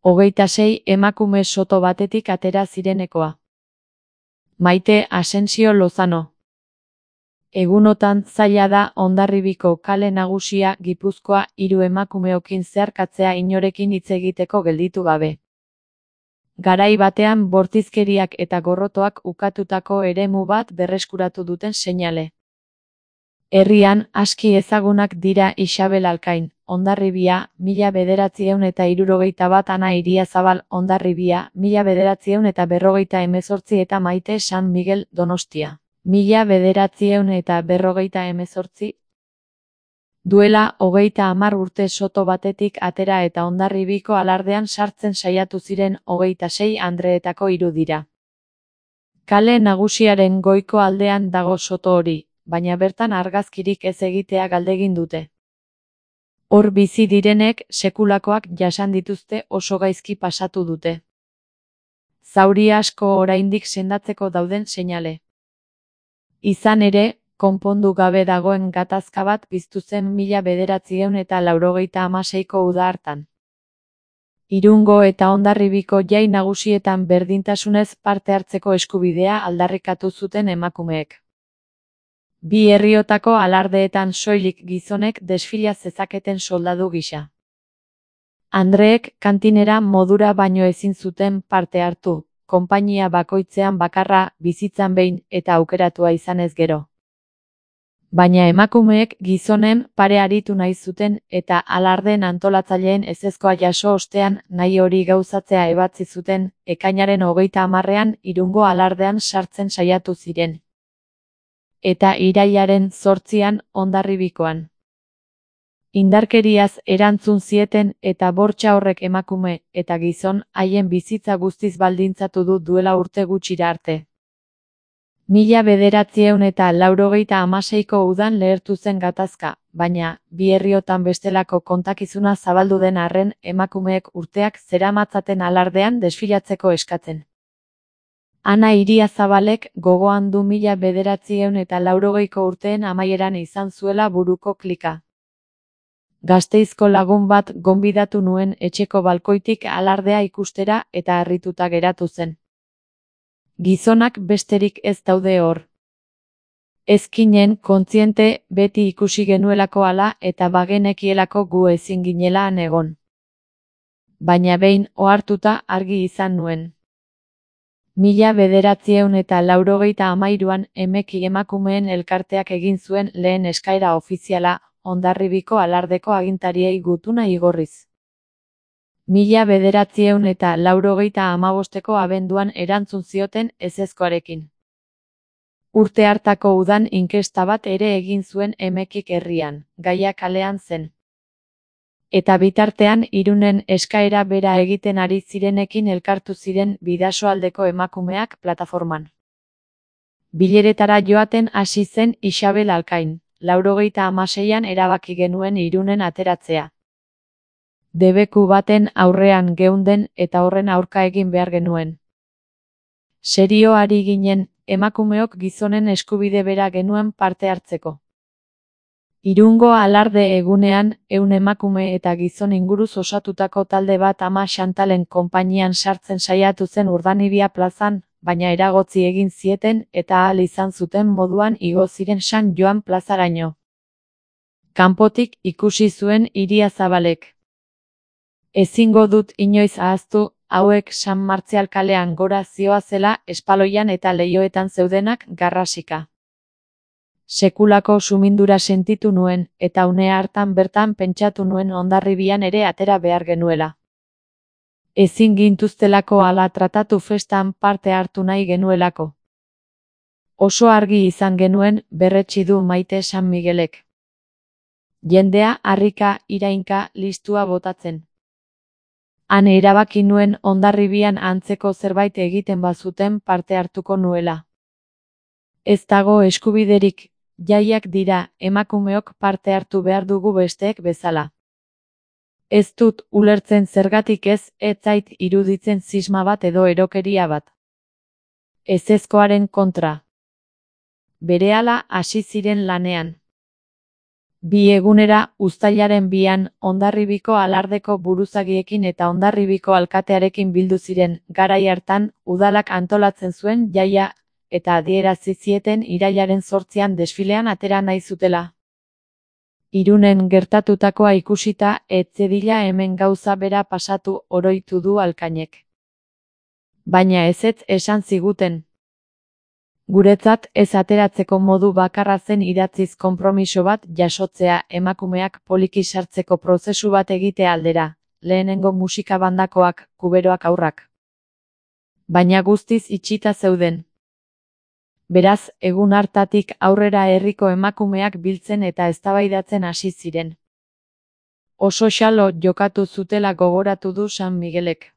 26 emakume soto batetik atera zirenekoa. Maite Asensio Lozano. Egunotan zaila da Hondarribiko kale nagusia Gipuzkoa 3 emakumeokin zeharkatzea inorekin hitz egiteko gelditu gabe. Garai batean bortizkeriak eta gorrotoak ukatutako eremu bat berreskuratu duten seinale. Herrian aski ezagunak dira Isabel Alkain, Hondarribia, 1971, Ana Iriazabal, Hondarribia, 1958 eta Maite San Miguel, Donostia, 1958. Duela 30 urte soto batetik atera eta Hondarribiko alardean sartzen saiatu ziren 26 andreetako 3 dira. Kale nagusiaren goiko aldean dago soto hori, baina bertan argazkirik ez egitea galdegin dute. Hor bizi direnek sekulakoak jasan dituzte, oso gaizki pasatu dute. Zauri asko oraindik sendatzeko dauden seinale. Izan ere, konpondu gabe dagoen gatazka bat piztu zen 1986ko uda hartan. Irungo eta Hondarribiko jai nagusietan berdintasunez parte hartzeko eskubidea aldarrikatu zuten emakumeek. Bi herriotako alardeetan soilik gizonek desfila zezaketen soldadu gisa. Andreek kantinera modura baino ezin zuten parte hartu, konpainia bakoitzean bakarra, bizitzan behin eta aukeratua izanez gero. Baina emakumeek gizonen pare aritu nahi zuten eta alardeen antolatzaileen ezezkoa jaso ostean nahi hori gauzatzea ebatzi zuten, ekainaren 30ean Irungo alardean sartzen saiatu ziren. Eta irailaren 8ean Hondarribikoan. Indarkeriaz erantzun zieten eta bortxa horrek emakume eta gizon haien bizitza guztiz baldintzatu du duela urte gutxira arte. 1986ko udan lehertu zen gatazka, baina, bi herriotan bestelako kontakizuna zabaldu den arren emakumeek urteak zeramatzaten alardean desfilatzeko eskatzen. Ana Iriazabalek gogoan du 1980ko urteen amaieran izan zuela buruko klika. Gasteizko lagun bat gonbidatu nuen etxeko balkoitik alardea ikustera eta harrituta geratu zen. Gizonak besterik ez daude hor. Ezkinen kontziente beti ikusi genuelako hala eta bagenekielako gu ezin ginela han egon. Baina behin ohartuta argi izan nuen. 1983an Emeki emakumeen elkarteak egin zuen lehen eskaera ofiziala Hondarribiko alardeko agintariei gutuna igorriz. 1985ko abenduan erantzun zioten ezezkoarekin. Urte hartako udan inkesta bat ere egin zuen Emekik herrian, gaia kalean zen. Eta bitartean Irunen eskaera bera egiten ari zirenekin elkartu ziren Bidasoaldeko emakumeak plataforman. Bileretara joaten hasi zen Isabel Alkain, 96an erabaki genuen Irunen ateratzea. Debeku baten aurrean geunden eta horren aurka egin behar genuen. Serio ari ginen, emakumeok gizonen eskubide bera genuen parte hartzeko. Irungo alarde egunean, 100 emakume eta gizon inguruz osatutako talde bat Ama Xantalen konpainian sartzen saiatu zen Urdanibia plazan, baina eragotzi egin zieten eta ahal izan zuten moduan igo ziren San Joan plazaraino. Kanpotik ikusi zuen Iriazabalek. Ezingo dut inoiz ahaztu, hauek San Martzial kalean gora zihoazela espaloian eta leihoetan zeudenak garrasika. Sekulako sumindura sentitu nuen, eta une hartan bertan pentsatu nuen Hondarribian ere atera behar genuela. Ezin gintuztelako hala tratatu festan parte hartu nahi genuelako. Oso argi izan genuen, berretsi du Maite San Miguelek. Jendea harrika, irainka, listua botatzen. Han erabaki nuen Hondarribian antzeko zerbait egiten bazuten parte hartuko nuela. Ez dago eskubiderik, jaiak dira, emakumeok parte hartu behar dugu besteek bezala. Ez dut ulertzen zergatik ez zait iruditzen zisma bat edo erokeria bat. Ezezkoaren kontra. Berehala hasi ziren lanean. Bi egunera, uztailaren 2an, Hondarribiko alardeko buruzagiekin eta Hondarribiko alkatearekin bildu ziren. Garai hartan, udalak antolatzen zuen jaia eta adierazi zieten irailaren 8an desfilean atera nahi zutela. Irunen gertatutakoa ikusita, ez zedila hemen gauza bera pasatu oroitu du Alkainek. Baina ezetz esan ziguten. Guretzat ez ateratzeko modu bakarra zen idatziz konpromiso bat jasotzea emakumeak poliki sartzeko prozesu bat egitea aldera, lehenengo musika bandakoak, kuberoak haurrak. Baina guztiz itxita zeuden. Beraz, egun hartatik aurrera herriko emakumeak biltzen eta eztabaidatzen hasi ziren. Oso xalo jokatu zutela gogoratu du San Miguelek.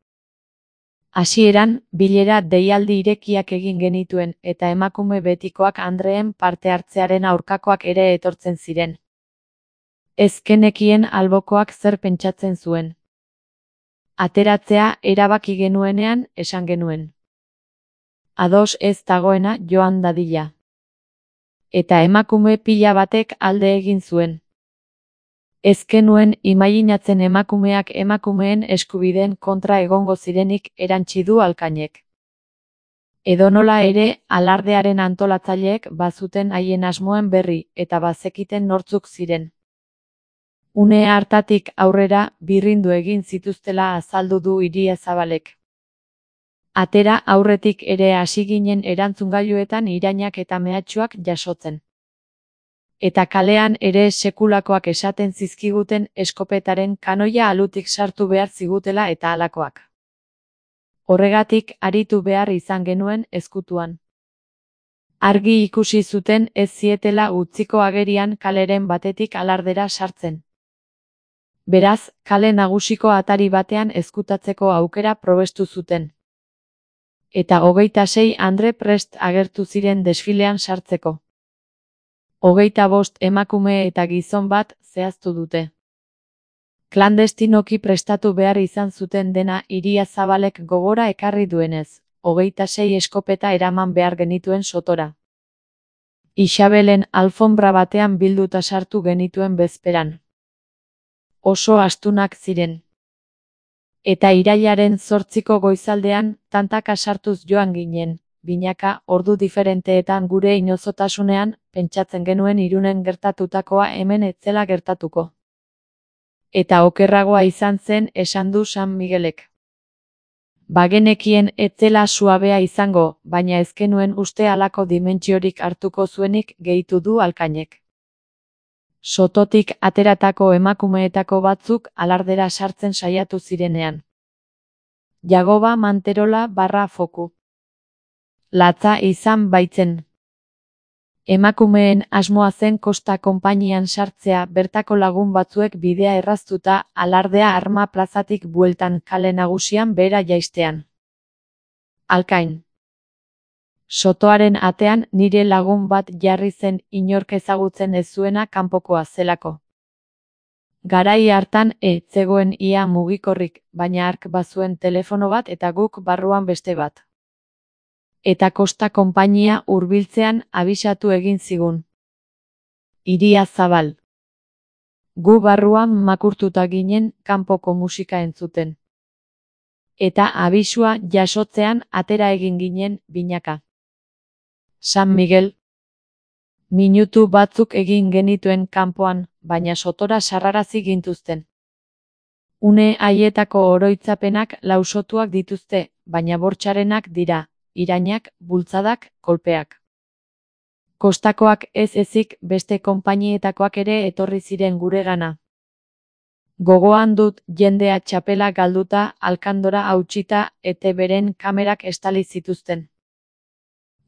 Hasieran, bilera deialdi irekiak egin genituen eta emakume betikoak andreen parte hartzearen aurkakoak ere etortzen ziren. Ez genekien albokoak zer pentsatzen zuen. Ateratzea erabaki genuenean esan genuen. Ados ez dagoena joan dadila. Eta emakume pila batek alde egin zuen. Ez genuen imaginatzen emakumeak emakumeen eskubideen kontra egongo zirenik erantsi du Alkainek. Edonola ere, alardearen antolatzaileek bazuten haien asmoen berri eta bazekiten nortzuk ziren. Une hartatik aurrera birrindu egin zituztela azaldu du Iriazabalek. Atera aurretik ere hasi ginen erantzungailuetan irainak eta mehatxuak jasotzen. Eta kalean ere sekulakoak esaten zizkiguten eskopetaren kanoia alutik sartu behar zigutela eta halakoak. Horregatik aritu behar izan genuen ezkutuan. Argi ikusi zuten ez zietela utziko agerian kaleren batetik alardera sartzen. Beraz, kale nagusiko atari batean ezkutatzeko aukera probestu zuten. Eta 26 andre prest agertu ziren desfilean sartzeko. 25 emakume eta gizon bat zehaztu dute. Klandestinoki prestatu behar izan zuten dena Iriazabalek gogora ekarri duenez, 26 eskopeta eraman behar genituen sotora. Isabelen alfombra batean bilduta sartu genituen bezperan. Oso astunak ziren. Eta irailaren 8ko goizaldean, tantaka sartuz joan ginen. Binaka, ordu diferenteetan gure inozotasunean, pentsatzen genuen Irunen gertatutakoa hemen etzela gertatuko. Eta okerragoa izan zen esan du San Miguelek. Bagenekien etzela suabea izango, baina ez genuen uste halako dimentsiorik hartuko zuenik gehitu du Alkainek. Sototik ateratako emakumeetako batzuk alardera sartzen saiatu zirenean. Jagoba Manterola / Foku. Latza izan baitzen. Emakumeen asmoa zen Kosta konpainian sartzea bertako lagun batzuek bidea erraztuta alardea Arma plazatik bueltan kale nagusian behera jaistean. Alkain. Sotoaren atean nire lagun bat jarri zen inork ezagutzen ez zuena kanpokoa zelako. Garai hartan zegoen ia mugikorrik, baina hark bazuen telefono bat eta guk barruan beste bat. Eta Kosta konpainia hurbiltzean abisatu egin zigun. Iriazabal. Gu barruan makurtuta ginen kanpoko musika entzuten. Eta abisua jasotzean atera egin ginen binaka. San Miguel. Minutu batzuk egin genituen kanpoan, baina sotora sarrarazi gintuzten. Une haietako oroitzapenak lausotuak dituzte, baina bortxarenak dira. Irainak, bultzadak, kolpeak. Kostakoak ez ezik beste konpainietakoak ere etorri ziren guregana. Gogoan dut jendea txapela galduta, alkandora hautsita eta beren kamerak estali zituzten.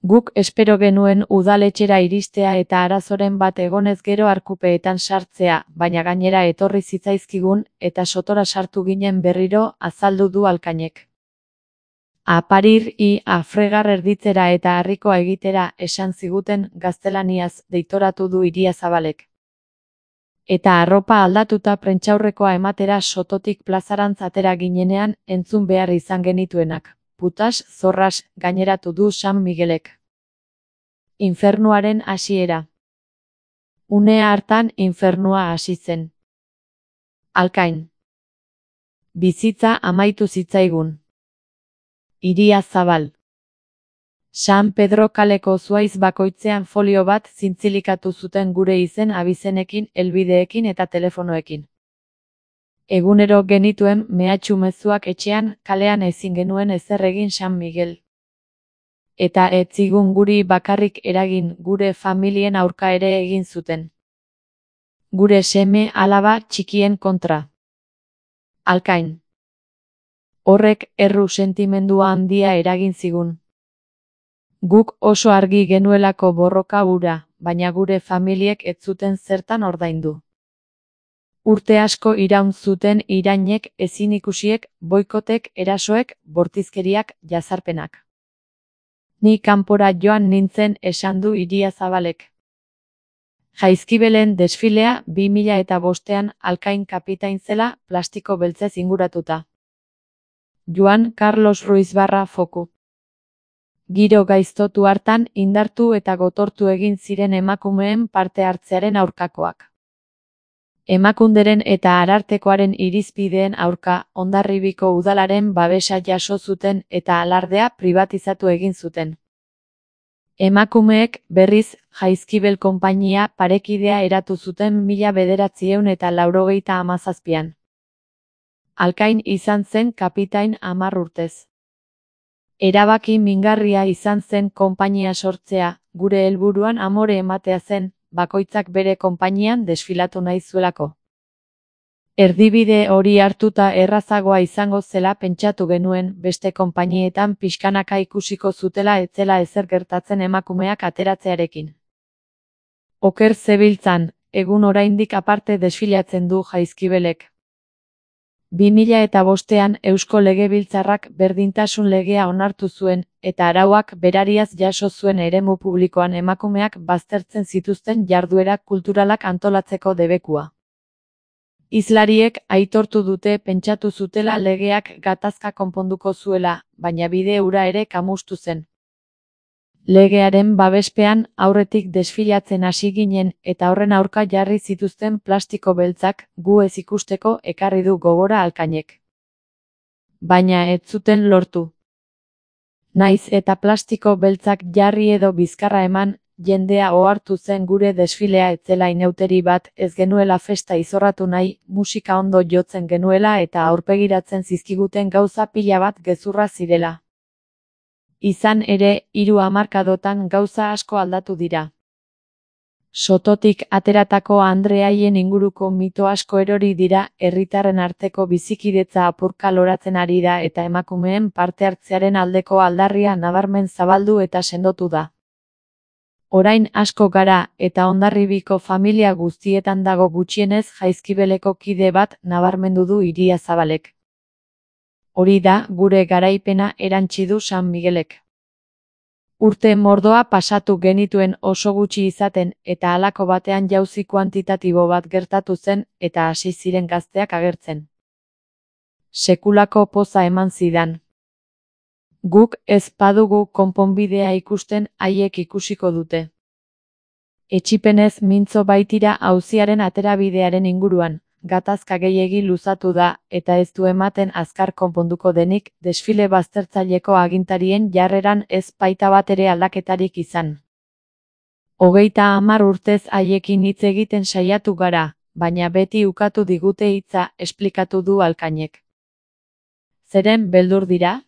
Guk espero genuen udaletxera iristea eta arazoren bat egonez gero arkupeetan sartzea, baina gainera etorri zitzaizkigun eta sotora sartu ginen berriro azaldu du Alkainek. A parir a fregar erditzera eta harrikoa egitera esan ziguten gaztelaniaz deitoratu du Iriazabalek. Eta arropa aldatuta prentsaurrekoa ematera sototik plazarantz atera ginenean entzun behar izan genituenak. Putas, zorras, gaineratu du San Miguelek. Infernuaren hasiera. Une hartan infernua hasi zen. Alkain. Bizitza amaitu zitzaigun. Iria zabal. San Pedro kaleko zuaiz bakoitzean folio bat zintzilikatu zuten gure izen abizenekin, helbideekin eta telefonoekin. Egunero genituen mehatxu mezuak etxean, kalean ezin genuen ezer egin San Miguel. Eta ez zigun guri bakarrik eragin, gure familien aurka ere egin zuten. Gure seme alaba txikien kontra. Alkain. Horrek erru sentimendua handia eragin zigun. Guk oso argi genuelako borroka hura, baina gure familiek ez zuten zertan ordaindu. Urte asko iraun zuten irainek, ezinikusiek, boikotek, erasoek, bortizkeriak, jazarpenak. Ni kanpora joan nintzen, esan du Iria Zabalek. Jaizkibelen desfilea 2005an Alkain kapitain zela, plastiko beltzez inguratuta. Juan Carlos Ruiz Foku. Giro gaiztotu hartan indartu eta gotortu egin ziren emakumeen parte hartzearen aurkakoak. Emakunderen eta Arartekoaren irizpideen aurka, Hondarribiko udalaren babesa jaso zuten eta alardea pribatizatu egin zuten. Emakumeek, berriz, Jaizkibel konpainia parekidea eratu zuten 1997an. Alkain izan zen kapitain 10 urtez. Erabaki mingarria izan zen konpainia sortzea, gure helburuan amore ematea zen, bakoitzak bere konpainian desfilatu nahi zuelako. Erdibide hori hartuta errazagoa izango zela pentsatu genuen, beste konpainietan pixkanaka ikusiko zutela ez zela ezer gertatzen emakumeak ateratzearekin. Oker zebiltzan, egun oraindik aparte desfilatzen du Jaizkibelek. 2005an Eusko Legebiltzarrak berdintasun legea onartu zuen, eta arauak berariaz jaso zuen eremu publikoan emakumeak baztertzen zituzten jarduera kulturalak antolatzeko debekua. Hizlariek aitortu dute pentsatu zutela legeak gatazka konponduko zuela, baina bide hura ere kamustu zen. Legearen babespean aurretik desfilatzen hasi ginen eta horren aurka jarri zituzten plastiko beltzak gu ez ikusteko ekarri du gogora Alkainek. Baina ez zuten lortu. Naiz eta plastiko beltzak jarri edo bizkarra eman, jendea ohartu zen gure desfilea ez zela inauteri bat, ez genuela festa izorratu nahi, musika ondo jotzen genuela eta aurpegiratzen zizkiguten gauza pila bat gezurra zirela. Izan ere, 3 hamarkadotan gauza asko aldatu dira. Sototik ateratako andreaien inguruko mito asko erori dira, herritarren arteko bizikidetza apurka loratzen ari da eta emakumeen parte hartzearen aldeko aldarria nabarmen zabaldu eta sendotu da. Orain asko gara, eta Hondarribiko familia guztietan dago gutxienez Jaizkibeleko kide bat, nabarmendu du Iria Zabalek. Hori da, gure garaipena erantsi du San Miguelek. Urte mordoa pasatu genituen oso gutxi izaten, eta halako batean jauzi kuantitatibo bat gertatu zen, eta hasi ziren gazteak agertzen. Sekulako poza eman zidan. Guk ez badugu konponbidea ikusten, haiek ikusiko dute. Etsipenez mintzo baitira auziaren aterabidearen inguruan, gatazka gehiegi luzatu da, eta ez du ematen azkar konponduko denik, desfile baztertzaileko agintarien jarreran ez baita bat ere aldaketarik izan. 30 urtez haiekin hitz egiten saiatu gara, baina beti ukatu digute hitza, esplikatu du Alkainek. Zeren beldur dira?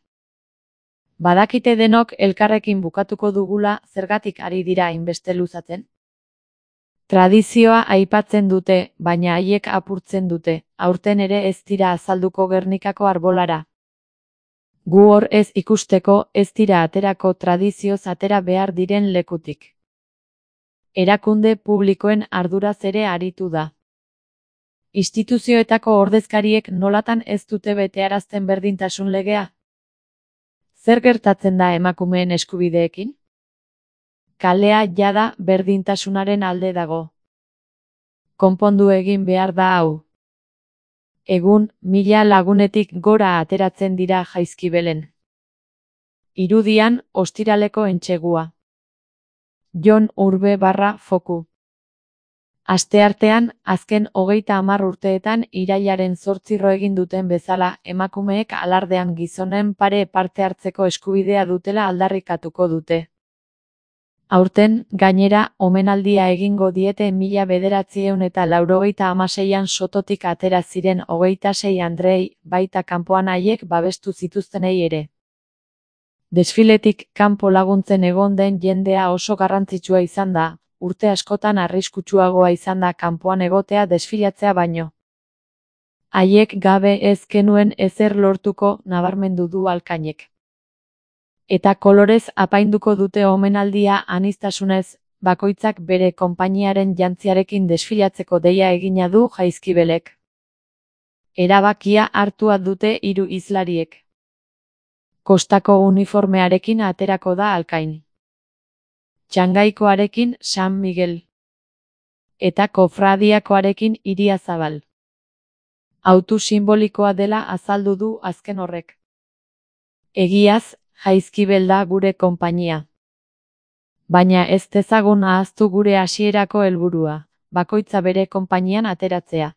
Badakite denok elkarrekin bukatuko dugula, zergatik ari dira hainbeste luzatzen? Tradizioa aipatzen dute, baina haiek apurtzen dute, aurten ere ez dira azalduko Gernikako arbolara. Gu hor ez ikusteko, ez dira aterako tradizioz atera behar diren lekutik. Erakunde publikoen arduraz ere aritu da. Instituzioetako ordezkariek nolatan ez dute betearazten berdintasun legea? Zer gertatzen da emakumeen eskubideekin? Kalea jada berdintasunaren alde dago. Konpondu egin behar da hau. Egun, 1000 lagunetik gora ateratzen dira Jaizkibelen. Irudian, ostiraleko entsegua. Jon Urbe Foku. Asteartean, azken 30 urteetan irailaren 8 egin duten bezala, emakumeek alardean gizonen pare parte hartzeko eskubidea dutela aldarrikatuko dute. Aurten, gainera, omenaldia egingo diete 1996an Sototik atera ziren 26 andreei, baita kanpoan haiek babestu zituztenei ere. Desfiletik kanpo laguntzen egon den jendea oso garrantzitsua izan da, urte askotan arriskutsuagoa izan da kanpoan egotea desfilatzea baino. Haiek gabe ez genuen ezer lortuko, nabarmendu du Alkainek. Eta kolorez apainduko dute omenaldia aniztasunez, bakoitzak bere konpainiaren jantziarekin desfilatzeko deia egina du Jaizkibelek. Erabakia hartua dute 3 hizlariek. Kostako uniformearekin aterako da Alkain. Txangaikoarekin San Miguel. Eta kofradiakoarekin Iriazabal. Autu sinbolikoa dela azaldu du azken horrek. Egiaz, Jaizkibel da gure konpainia. Baina ez dezagun ahaztu gure hasierako helburua, bakoitza bere konpainian ateratzea.